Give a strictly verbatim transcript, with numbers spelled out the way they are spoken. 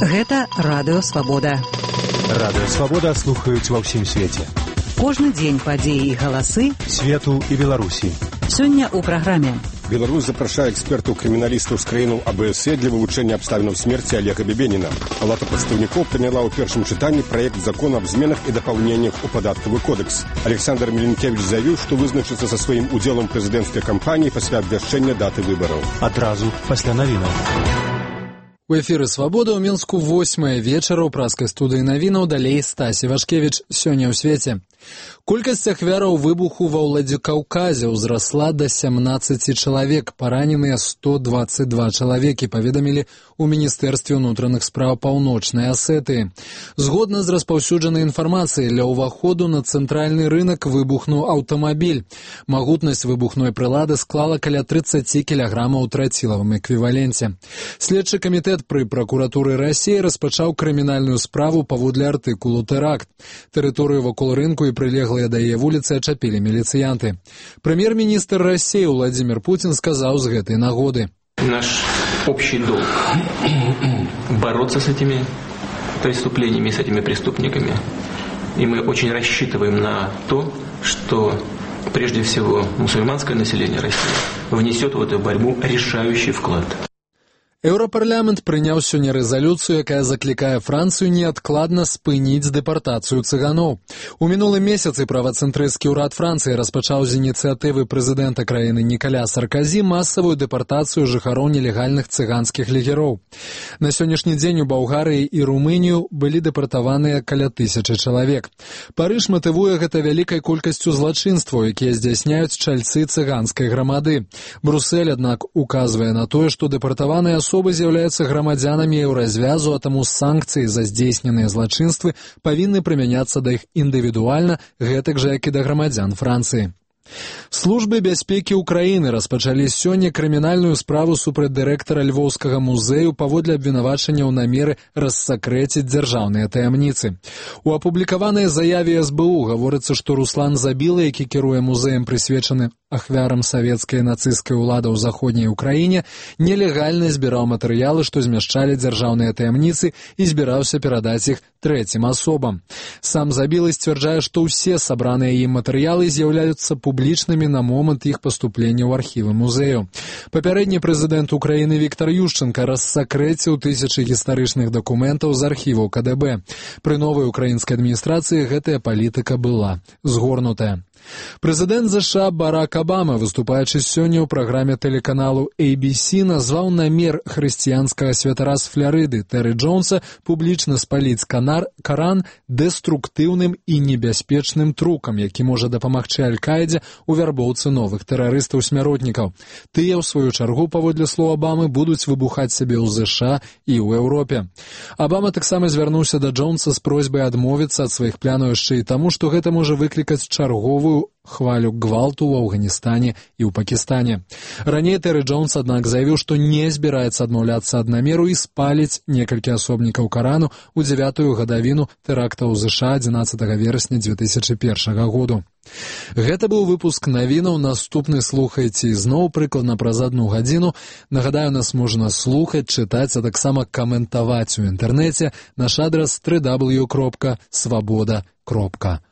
Гэта Радыё Свабода. Радыё Свабода слухаюць ва ўсім свеце. Кожны дзень падзеі і галасы свету і Беларусі. Сёння ў праграме. Беларусь запрашае экспертаў-крыміналістаў з краінаў А Б С Е для вывучэння абставінаў смерці Олега Бебеніна. Палата прадстаўнікоў прыняла ў першым чытанні праект закона аб зменах і дапаўненнях у падатковы кодекс. Александр Меленкевич заявіў, што вызначыцца са сваім удзелам прэзідэнцкай кампаніі пасля абвяшчэння даты выбараў. Адразу пасля навінаў. У эфіры «Свабода» ў Мінску восьмая вечара ў праскай студыі навінаў, далей Стась Івашкевіч. Сёння ў свеце. Колькасць ахвяраў выбуху ва Ўладзікаўказе ўзрасла да сямнаццаці чалавек, параненыя сто дваццаць два чалавекі, паведамілі ў Міністэрстве ўнутраных спраў Паўночнай Асетыі. Згодна з распаўсюджанай інфармацыяй, ля ўваходу на цэнтральны рынак выбухнуў аўтамабіль. Магутнасць выбухной прылады склала каля трыццаці кілаграмаў у трацілавым эквіваленце. Следчы камітэт пры пракуратуры Расіі распачаў крымінальную справу паводле артыкулу «Тэракт». Тэрыторыю вакол рынку і прылеглыя да яе вуліцы ачапілі міліцыянты. Прэм'ер-міністр России Владимир Путин сказал с гэтай нагоды. Наш общий долг бороться с этими преступлениями, с этими преступниками. И мы очень рассчитываем на то, что прежде всего мусульманское население России внесет в эту борьбу решающий вклад. Еўрапарламент прыняў сёння рэзалюцыю, якая заклікае Францыю неадкладна спыніць дэпартацыю цыганоў. У мінулым месяцы правацэнтрысцкі ўрад Францыі распачаў з ініцыятывы прэзідэнта краіны Нікаля Сарказі масавую дэпартацыю жыхароў нелегальных цыганскіх лагероў. На сённяшні дзень у Балгарыі і Румынію былі дэпартаваныя каля тысячы чалавек. Парыж матывуе гэта вялікай колькасцю злачынстваў, якія здзяйсняюць чальцы цыганскай грамады. Брусэль, аднак, указвае на тое, што дэпартаваныя асобы з'яўляюцца грамадзянамі еўразвязу, а таму санкцыі за здзейсненыя злачынствы павінны прымяняцца да іх індывідуальна, гэтак жа, як і да грамадзян Францыі. Службы бяспекі ўкраіны распачалі сёння крымінальную справу супраць дырэктара Львоўскага музею паводле абвінавачання ў намеры рассакрэціць дзяржаўныя таямніцы. У апублікаванай заяве эс бэ у гаворыцца, што Руслан Забіла, які кіруе музеем, прысвечаны ахвярам савецкай нацысцкай улады ў заходняй Украіне, нелегальна збіраў матэрыялы, што змяшчалі дзяржаўныя таямніцы, і збіраўся перадаць іх трэцім асобам. Сам Забіла сцвярджае, што ўсе сабраныя ім матэрыялы з'яўляюцца публічнымі на момант іх паступлення ў архівы музею. Папярэдні прэзідэнт Украіны Віктор Юшчэнка рассакрэціў тысячы гістарычных дакументаў з архіваў Ка Дэ Бэ. Пры новай украінскай адміністрацыі гэтая палітыка была згорнутая. Прэзідэнт ЗША Барак Абама, выступаючы сёння ў праграме тэлеканалу А Б С, назваў намер хрысціянскага святара з Фларыды Тэры Джонса публічна спаліць канар, Каран дэструктыўным і небяспечным трукам, які можа дапамагчы Аль-Каідзе ў вярбоўцы новых тэрарыстаў-смяротнікаў. Тыя, ў сваю чаргу, паводле слоў Абамы, будуць выбухаць сябе ў ЗША і ў Еўропе. Абама таксама звярнуўся да Джонса з просьбай адмовіцца ад сваіх планаў яшчэ і таму, што гэта можа выклікаць чарговую хвалю гвалту ў Афганістане і ў Пакістане. Раней Тэры Джонс, аднак, заявіў, што не збіраецца адмаўляцца ад намеру і спаліць некалькі асобнікаў Карану ў дзявятую гадавіну тэрактаў ЗША адзінаццатага верасня дзве тысячы першага году. Гэта быў выпуск навінаў. Наступны слухайце ізноў прыкладна праз адну гадзіну. Нагадаю, нас можна слухаць, чытаць, а таксама каментаваць у інтэрнэце. Наш адрас дабл ю дабл ю дабл ю кропка свабода кропка